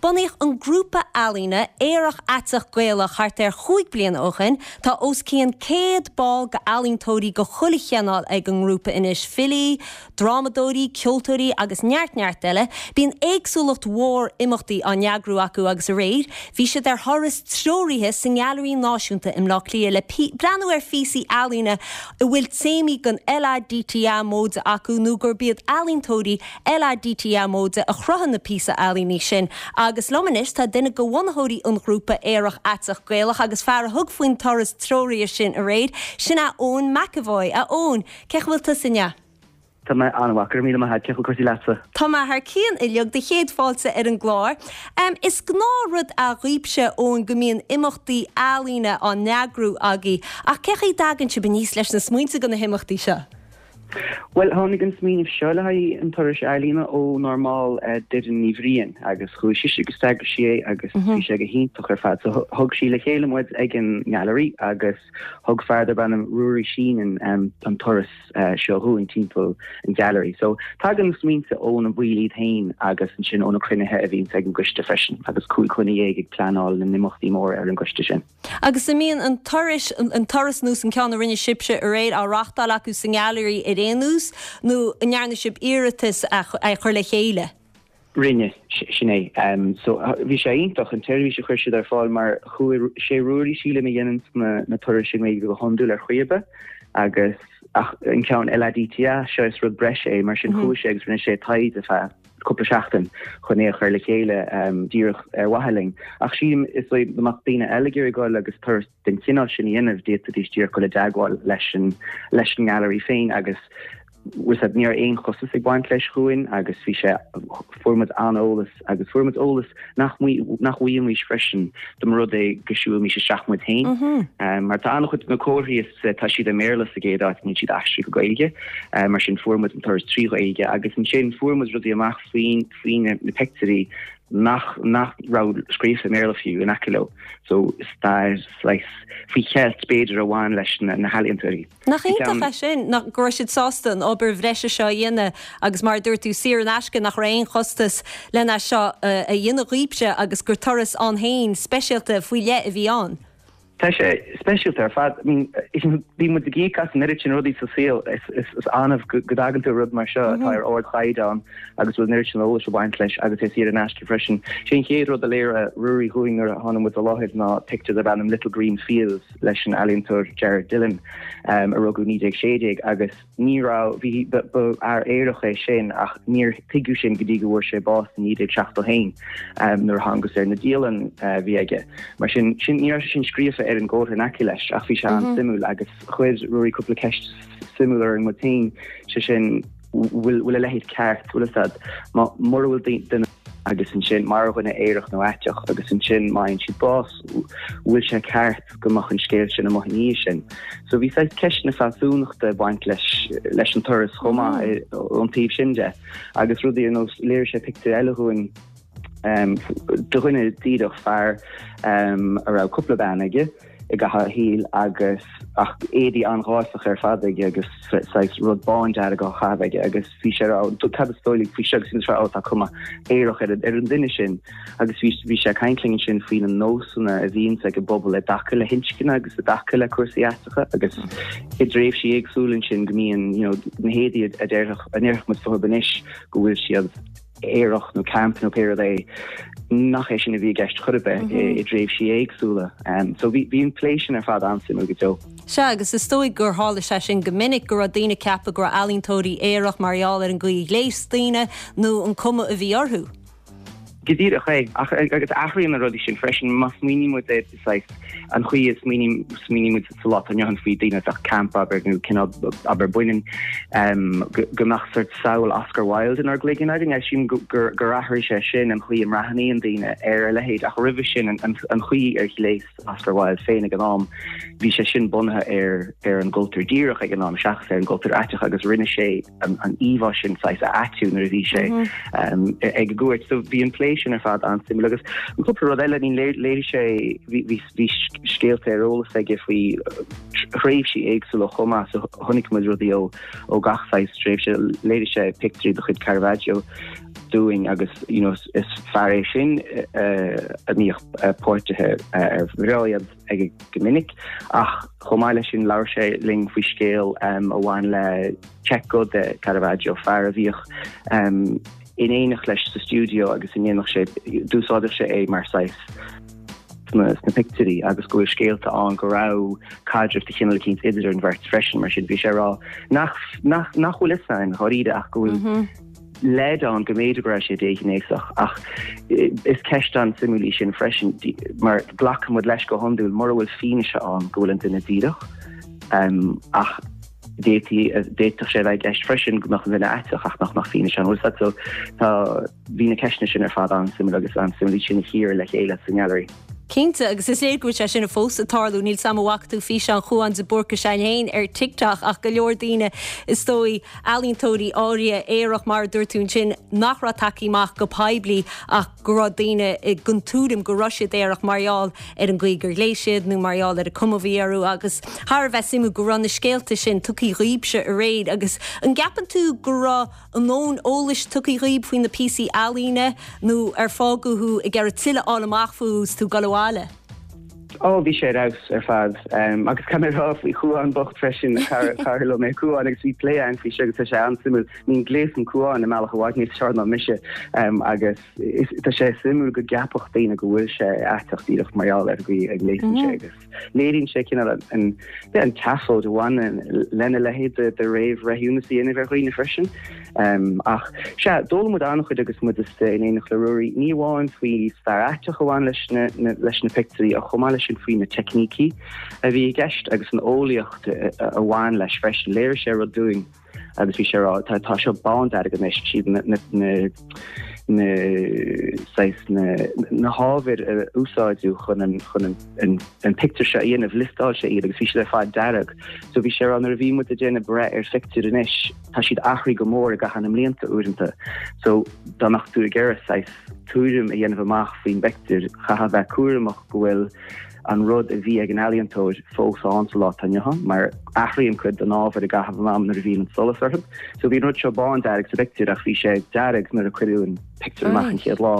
Bunaíodh an grúpa ealaíne Aerach Aiteach Gaelach thart ar chúig bliana ó shin. Tá os cionn 100 ball go ealaíontóirí go chuile chineál ag an ngrúpa anois, filí, drámadóirí, ceoltóirí agus neart neart eile. Bíonn éagsúlacht mhór imeachtaí á n-eagrú acu agus aréir bhí siad ar thuras treoraithe sa nGailearaí Náisiúnta i mBleá Cliath le breathnú ar phíosaí ealaíne a bhfuil téamaí den LADTA móide acu nó gurb iad ealaíontóirí LADTA móide a chruthaigh na píosa ealaíne sin. Agus liom anois tá duine de bhunaitheoirí an ghrúpa Aerach Aiteach Gaelach agus fear a thug faoin turas treoraithe sin aréir, sin é Eoin McEvoy. A Eoin, cén chaoi a bhfuil tusa inniu? Tá mé an-mhaith, go raibh míle maith agat, cén chaoi a bhfuil cúrsaí leatsa? Tá mé thar cionn uilig, do chéad fáilte ar an gclár. Is gnáthrud é dhaoibhse, Eoin, go mbíonn imeachtaí ealaíne á n-eagrú agaibh, ach cén chaoi a dtagann sibh aníos leis na smaointe do na himeachtaí seo? Bhuel, tháinig an smaoineamh seo le haghaidh an turais ealaíne ónár mball Doireann Ní Bhriain agus chuaigh sise agus d'eagraigh sí é agus bhí sé go hiontach ar fad. So thug sí le chéile muid ag an nGailearaí agus thug fear darb ainm Ruairí Sheenan an turas seo dhúinn timpeall an Ghailearaí. So tagann na smaointe ó na baill iad féin agus ansin ó na cruinnithe a bhíonns ag an gcoiste freisin agus 15 dhuine ag pleanáil na n-imeachtaí móra ar an gcoiste sin. Agus an mbíonn an turais, an turas nós an ceann a rinne sibhse aréir, á reachtáil acu sa nGailearaí ar aon nós nó an ndearna sibh iarratas é a chur le chéile? Rinne, sin é. So bhí sé iontach an tseirbhís a chuir siad ar fáil mar chuaigh, sé Ruairí sílim a dhéananns na na turais i nGaeilge go hiondúil ar chaoi ar bith agus ach an ceann LADTA seo is rud breise é mar sin chuaigh sé agus rinne sé taighde feadh cúpla seachtain chun é a chur le chéile díreach ar mhaithe linn. Ach sílim is dóigh dá mbeadh daoine eile ag iarraidh dul agus turas den chineál sin a dhéanamh d'fhéadfaidís díreach dul i dteagmháil leis an leis an nGailearaí féin agus bhfuil a fhios agat, ní raibh aon chostas ag baint leis dhúinn agus bhí sé, fuair muid an-eolas agus fuair muid eolas nach nach bhfaighimís freisin dá mba rud é go siúlfaimís isteach muid féin. Mar tá an-chuid de na comharthaí is tá siad i mBéarla sa gcéad áit, níl siad aistrithe go Gaeilge, mar sin fuair muid an turas trí Ghaeilge agus ansin fuair muid rudaí amach faoin faoi na pictiúirí nach nach raibh scríofa i mBéarla fiú in aice leo. So stair saghas faoi cheilt b'fhéidir a bhain leis na na healaíontóirí. Nach iontach é sin, nach, go raibh siad sásta an obair bhreise seo a dhéanamh agus mar a dúirt tú, saor in aisce, nach raibh aon chostas len é seo a dhéanamh dhaoibhse agus gur turas ann féin speisialta faoi leith a bhí ann. Tá sé speisialta ar fad. I mean, bíonn muid ag íoc as an oiread sin rudaí sa saol, is annamh go dtagann tú ar rud mar seo atá ar ardchaighdeán agus bhfuil an oiread sin eolais ag baint leis agus é saor in aisce freisin. Sé an chéad rud a léirigh Ruairí dhúinn nuair a tháinig muid i láthair ná pictiúr darb ainm Little Green Fields. leis an ealaíontóir Jared Dillon, a rugadh 1916, agus ní raibh, bhí, ba fhear aerach é sin ach níor tuigeadh sin go dtí go bhfuair sé bás i 1971 nuair a thángthas ar na dialanna a bhí aige. Mar sin, sin, ní raibh sé sin scríofa ar an gcomhartha in aice leis ach bhí sé an-suimiúil agus chuir Ruairí cúpla ceist suimiúil orainn muid féin, sé sin, bhfuil, bhfuil a leithéid ceart, bhfuil a fhios agat, má, mura bhfuil duine agus ansin mar dhuine aerach nó aiteach agus ansin má fhaigheann siad bás, bhfuil sé ceart go mbeadh an scéal sin amuigh ina dhiaidh sin. So bhí saghas ceist na fealsúnachta ag baint leis leis an turas chomh maith ón taobh sin de. Agus rudaí ar nós léirigh sé pictiúr eile dhúinn de dhuine díreach fear a raibh cúpla bean aige, i gcaitheamh a shaoil agus ach éadaí an-gháifeach ar fad aige agus saghas rud bándearg á chaitheamh aige agus bhí sé ag rá cad is dóigh libh faoi seo agus bhí sé ó tá cuma aerach ar ar an duine sin agus bhí bhí sé ag caint linn ansin faoi na nósanna a bhíonns ag an bpobal i dtaca le hinscne agus i dtaca le cúrsaí aiteacha agus i dtréimhsí éagsúla ansin go mbíonn you know na héadaí a déarfadh a ndéarfadh muid fúthu anois go bhfuil siad aerach nó camp nó pé rud é, nach é sin a bhí i gceist chor ar bith i dtréimhsí éagsúla. So bhí bhí an plé sin ar fad an-suimiúil go deo. Sea, agus is dóigh gur tharla sé sin go minic, go raibh daoine ag ceapadh go raibh ealaíontóirí aerach mar gheall ar an gcaoi a ghléas daoine nó an cuma a bhí orthu. Go díreach é. Ach agus athraíonn na rudaí sin freisin. Má smaoiníonn muid ar saghas an chaoi a smaoiníonn muid sa lá atá inniu ann faoi daoine a bheadh camp, abair, nó cineál, abair, baineann, go mbeadh sort samhail Oscar Wilde inár gcloigeann againn. Sílim gur athraigh sé sin an chaoi a mbreathnaíonn daoine ar a leithéid ach roimhe sin an chaoi ar ghléas Oscar Wilde féin ag an am, bhí sé sin bunaithe ar ar an gcultúr díreach ag an am seachas ar an gcultúr aiteach agus rinne sé an íomhá sin saghas a aitiú nuair a bhí sé ag an gcuairt. So bhí an plé sin ar fad an-suimiúil agus an cúpla rud eile, I mean léirigh sé bhí bhí scéalta ar eolas aige faoi thréimhsí éagsúla chomh maith so chonaic muid rudaí ó ó gach saghas tréimhse. Léirigh sé pictiúirí de chuid Caravaggio. dúinn agus you know is fear é sin a mbíodh páirtithe ar bhréid aige go minic ach chomh maith leis sin labhair sé linn faoi scéal a bhain le Cecco de Caravaggio, fear a bhíodh in éineacht leis sa stiúideo agus a ndéanadh sé, d'úsáideadh sé é mar saghas sna pictiúirí agus go bhfuil scéalta ann go raibh caidreamh de chineál eicínt idir an bheirt freisin mar sin bhí sé ag rá nach nach nach bhfuil fhios againn dháiríre ach go bhfuil leid ann go mb'fhéidir go raibh sé déghnéasach ach is ceist an-suimiúil í sin freisin mar glacann muid leis go hiondúil mura bhfuil fianaise ann go bhfuil an duine díreach ach d'fhéadfadh sé a bheith i gceist freisin go mbeadh an duine aiteach ach nach mbeadh fianaise ann. Bhfuil so tá bhí na ceisteanna sin ar fad an-suimiúil agus an-suimiúil iad sin a chíoradh le chéile sa nGailearaí. Cinnte, agus is léir go bhfuil sé sin fós ag tarlú. Níl 's a'm an bhfaca tú físeán Chuan de Búrca s'againn féin ar TikTok ach go leor daoine, is dóigh, ealaíontóirí áirithe, aerach mar a dúirt tú ansin, nach raibh tagtha amach go poiblí ach go raibh daoine den tuairim go raibh siad aerach mar gheall ar an gcaoi gur ghléas siad nó mar gheall ar an cuma a bhí orthu agus thar a bheith suimiúil go raibh na scéalta sin tugtha dhaoibhse aréir agus an gceapann tú go raibh a ndóthain eolais tugtha dhaoib faoi na píosaí ealaíne nó ar fágadh thú ag iarraidh tuilleadh a fháil amach fúthu is tú ag dul abhaile? Ó, bhí sé ar fheabhas ar fad. Agus caithfidh mé a rá faoi Chuan bocht freisin, cara liom é Cuan agus bhí plé againn faoi seo agus tá sé an-suimiúil. I mean gléasann Cuan i mbealach i bhfad níos fearr ná mise agus tá sé suimiúil go gceapfadh daoine go bhfuil sé aiteach díreach mar gheall ar an gcaoi a ngléasann sé agus. Léiríonn sé cineál an an tseafóid a bhaineann lena leithéid de réamhbhreithiúnas a dhéanamh ar dhaoine freisin. Ach sea, d'fhoghlaim muid an-chuid agus muid istigh in éineacht le Ruairí, ní amháin faoi stair aiteach a bhain leis na leis na pictiúirí ach chomh maith leis sin faoi na teicnící a bhí i gceist agus an eolaíocht a bhain leis freisin. Léirigh sé rud dúinn. agus bhí sé ag rá tá tá seo bándearg anois siad na na na na saghas na na hábhair a úsáideadh chun an chun an an an pictiúr seo a dhéanamh liostáil sé iad agus bhí siad ar fad dearg so bhí sé ag rá nuair a bhí muid ag déanamh breith ar phictiúr anois tá siad athraithe go mór i gcaitheamh na mblianta uaireanta so dá mbeadh tú ag iarraidh saghas tuairim a dhéanamh amach faoin bpictiúr chaithfeá bheith cúramach go bhfuil an rud a bhí ag an ealaíontóir fós ann sa lá atá inniu ann, mar athraíonn cuid den ábhar i gcaitheamh an ama nuair a bhíonn an solas orthu. So bhí an rud seo bándearg sa bpictiúr ach bhí sé dearg nuair a cuireadh an pictiúr amach an chéad lá.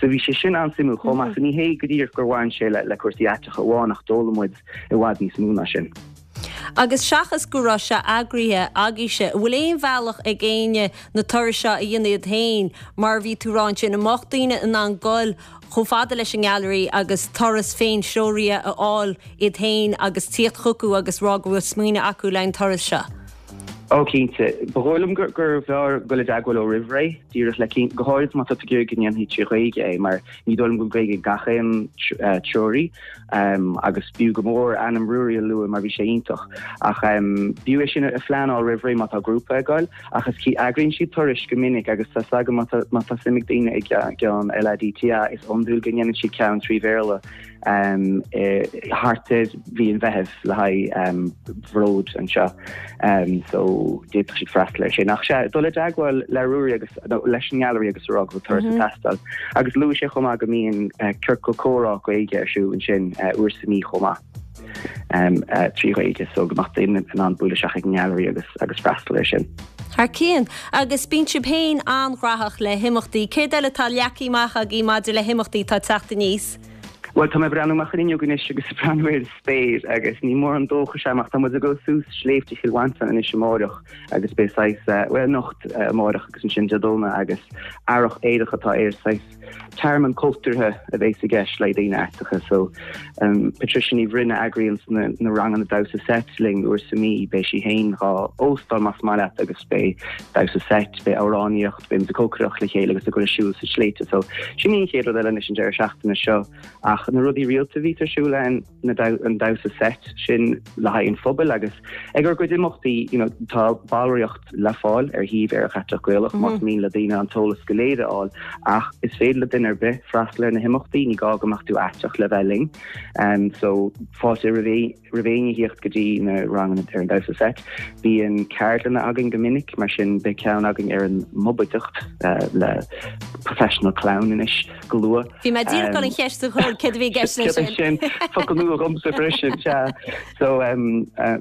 So bhí sé sin an-suimiúil chomh maith. So ní hé go díreach gur bhain sé le cúrsaí aiteacha amháin ach d'fhoghlaim muid i bhfad níos mó ná sin. Agus seachas go raibh sé eagraithe agaibhse, an bhfuil aon bhealach ag éinne na turais seo a dhéanamh iad féin, mar a bhí tú ag rá ansin, an mbeadh daoine in ann goil chomh fada leis an nGailearaí agus turas féin-threoraithe a fháil iad féin agus tíocht chucu agus rá go bhfuil smaoineamh acu le an turas seo. Ó cinnte. Ba dhóigh liom gurbh fhearr dul i dteagmháil leo roimh ré, díreach le cinn, go háirid má tá tú ag iarraidh go ndéanfaí trí Ghaeilge é, mar ní dóigh liom go bhfuil Gaeilge ag gach aon treoraí, agus b'fhiú go mór ainm Ruairí a lua mar bhí sé iontach. Ach b'fhiú é sin a phleanáil roimh ré má tá grúpa ag goil. Ach is eagraíonn siad turais go minic agus tá 's agam má tá má tá suim ag daoine i gceann LADTA is iondúil go ndéanann siad ceann trí Bhéarla thart ar mhí an Mheithimh le haghaidh Bhród anseo so d'fhéadfadh siad freastal air sin. Ach sea, dul i dteagmháil le Ruairí agus nó leis an nGailearaí agus a rá go bhfuil turas ag teastáil. Agus luaigh sé chomh maith go mbíonn ciorcal comhrá Gaeilge ar siúl ansin uair sa mhí chomh maith. trí Ghaeilge so go mbeadh daoine in ann bualadh isteach ag an nGailearaí agus agus freastal air sin. Thar cionn. Agus bíonn sibh féin an-ghnóthach le himeachtaí. Céard eile atá leagtha amach agaibh maidir le himeachtaí atá ag teacht aníos? Bhuel, tá mé ag breathnú amach an fhuinneog anois agus ag breathnú ar an spéir agus ní mórán dóchais agam ach tá muid ag dul suas sléibhte Chill Mhantáin anois amáireach agus beidh saghas, bhuel anocht, amáireach agus ansin Dé Domhnaigh agus Earrach Aerach atá air, saghas Tearmann cultúrtha a bhéas i gceist le daoine aiteacha so Patricia Ní Bhroin a eagraíonn na ranganna damhsa seit linn uair sa mí, beidh sí féin dhá óstáil más maith leat agus beidh damhsa seit, beidh amhránaíocht, beidh muid ag cócaireacht le chéile agus ag dul ag siúl sna sléibhte so sin í an chéad rud eile anois an deireadh seachtaine seo ach na rudaí rialta a bhíos ar siúl ann na an damhsa seit sin le haghaidh an phobail agus ag ár gcuid imeachtaí you know tá ballraíocht le fáil ar shuíomh Aerach Aiteach Gaelach más mian le daoine an t-eolas go léir a fháil ach is féidir le duine ar bith freastal ar na himeachtaí, ní gá go mbeadh tú aiteach le bheith linn. Um, so fáilte roimh roimh éinne theacht go dtí na ranganna ar an damhsa seit. Bíonn ceardlanna againn go minic mar sin beidh ceann againn ar an mbobaideacht uh, le professional clown anois go luath. Bhí mé díreach ag dul an cheist a chur. céard a bhí i gceist leis sin. Sin focal nua dhomsa freisin, sea. So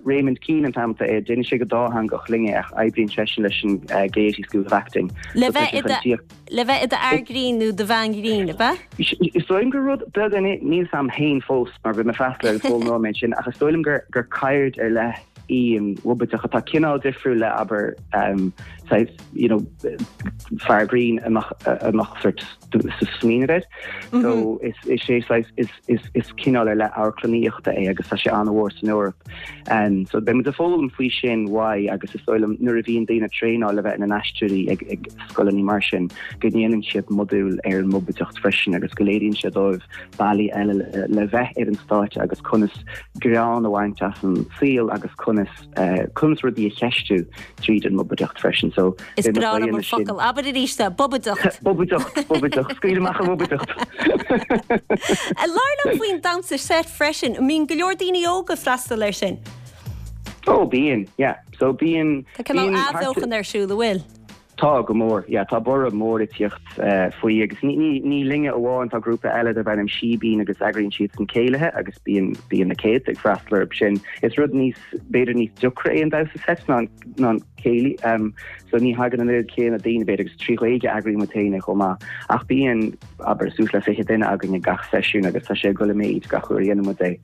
Raymond Keane an t-ainm atá air, déanann sé go dátheangach linn é ach oibríonn seisean leis an Gaiety School of Acting. Le bheith i do le bheith i d'fhear grinn nó do bhean ghrinn, ab ea? Is dóigh liom gur rud beag é, níl 'fhios a'm féin fós mar bhí mé ag freastal air agus foghlaimeoidh mé ansin ach is dóigh liom gur gur ceird ar leith í an bhubaideacht atá cineál difriúil le abair saghas you know fear grinn a mbeadh a mbeadh sort sa smaoineamh air. So is is é saghas is is is cineál ar leith amharclannaíochta é agus tá sé an-mhór san Eoraip. So beidh muid ag foghlaim faoi sin uaidh agus is dóigh liom nuair a bhíonn daoine ag traenáil le bheith ina n-aisteoirí ag ag scoileanna mar sin go ndéanann siad modúl ar an mbubaideacht freisin agus go léiríonn sé dóibh bealaí eile le bheith ar an stáitse agus conas greann a bhaint as an saol agus conas conas rudaí a cheistiú tríd an mbubaideacht freisin. So Is breá liom an focal. Abair arís é, bubaideacht. Bubaideacht, bubaideacht. Scaoil amach an bhubaideacht. Labhair liom faoin damhsa seit freisin. An mbíonn go leor daoine óga ag freastal air sin? Ó, bíonn, yeah. So bíonn. Tá cineál athbheochan ar siúl, an bhfuil? Tá, go mór. Yeah, tá borradh mór ag tíocht faoi agus ní ní linne amháin, tá grúpa eile darb ainm Síbín agus eagraíonn siadsan céilithe agus bíonn bíonn na céadta ag freastal orthu sin. Is rud níos, b'fhéidir níos deacra é an damhsa seit ná ná an céilí. So ní thagann an oiread céanna daoine b'fhéidir agus trí Ghaeilge a eagraíonn muid féin é chomh maith. Ach bíonn, abair, suas le 20 duine againn ag gach seisiún agus tá sé ag dul i méid gach uair a dhéanann muid é.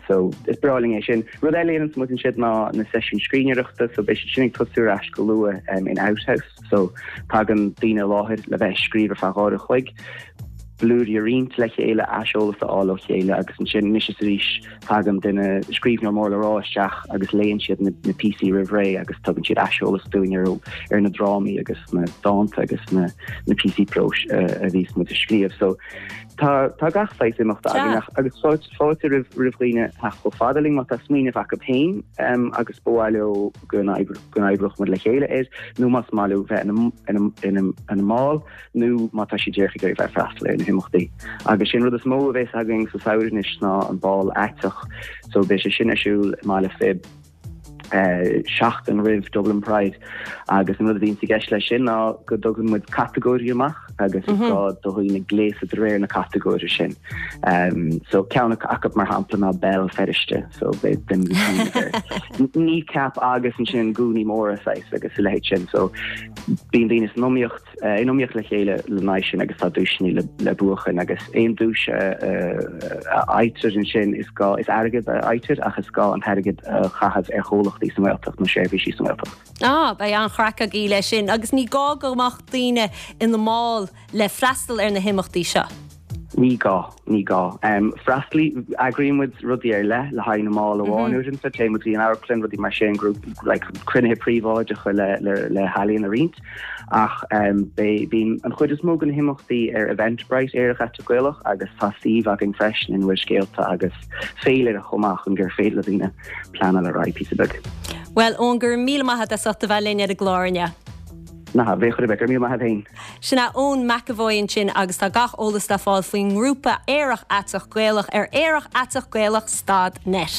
So is breá linn é sin. Rud eile a dhéananns muid ansin ná na seisiúin scríbhneoireachta, so beidh siad sin ag tosú ar ais go luath in Outhouse. So tagann daoine i láthair le bheith ag scríobh ar feadh uair a chloig, blúirí a roinnt le chéile, aiseolas a fháil ó chéile agus ansin anois is arís tagann duine, scríbhneoir mór le rá isteach agus léann siad na na píosaí roimh ré agus tugann siad aiseolas dúinn ar ar na drámaí agus na dánta agus na na píosaí próis a bhíos muid a scríobh. So Tá tá gach saghas imeachta againn ach agus fáilte roimh roimh dhaoine theacht chomh fada linn má tá smaoineamh acu féin agus ba mhaith leo go go n-oibreodh muid le chéile air nó más maith leo bheith ina ina ina ina mball nó má tá siad díreach ag iarraidh bheith ag freastal ar na himeachtaí. Agus sin rud is mó a bhéas againn sa samhradh anois ná an bál aiteach so beidh sé sin ar siúl i mBaile Phib. seachtain roimh Dublin Pride agus an rud a bhíonns i gceist leis sin ná go dtugann muid catagóirí amach agus is gá do dhaoine gléasadh de réir na catagóire sin. So ceann acu mar shampla ná Béal Feirste so beidh duine kneecap agus ansin gúnaí móra saghas agus a leithéid sin so bíonn daoine san iomaíocht in iomaíocht le chéile lena aghaidh sin agus tá duaiseanna le buachan agus aon duais a fhaightear ansin is gá, is airgead a fhaightear ach is gá an t-airgead a chaitheamh ar chomhlachtaí sa nGaeltacht nó seirbhísí sa nGaeltacht. Ah, beidh an-chraic agaibh leis sin agus ní gá go mbeadh daoine ina mball le freastal ar na himeachtaí seo. Ní gá, ní gá. Freastalaí, eagraíonn muid rudaí ar leith le haghaidh na mball amháin uaireanta, téann muid go dtí an amharclann, rudaí mar sin, grúp, like, cruinnithe príobháideacha le, le, le healaíon a roinnt. Ach beidh, bíonn an chuid is mó de na himeachtaí ar Eventbrite Aerach Aiteach Gaelach agus tá suíomh againn freisin ina bhfuil scéalta agus féilire chomh maith chun gur féidir le daoine pleanáil ar aghaidh píosa beag. Bhuel, Eoin, go raibh míle maith agat as ucht a bheith linn ar an gclár inniu. Ná bheadh chor ar bith, go raibh míle maith agat féin. Sin é Eoin McEvoy ansin agus tá gach eolas le fáil faoin ngrúpa Aerach Aiteach Gaelach ar aerachaiteachgaelach stad net.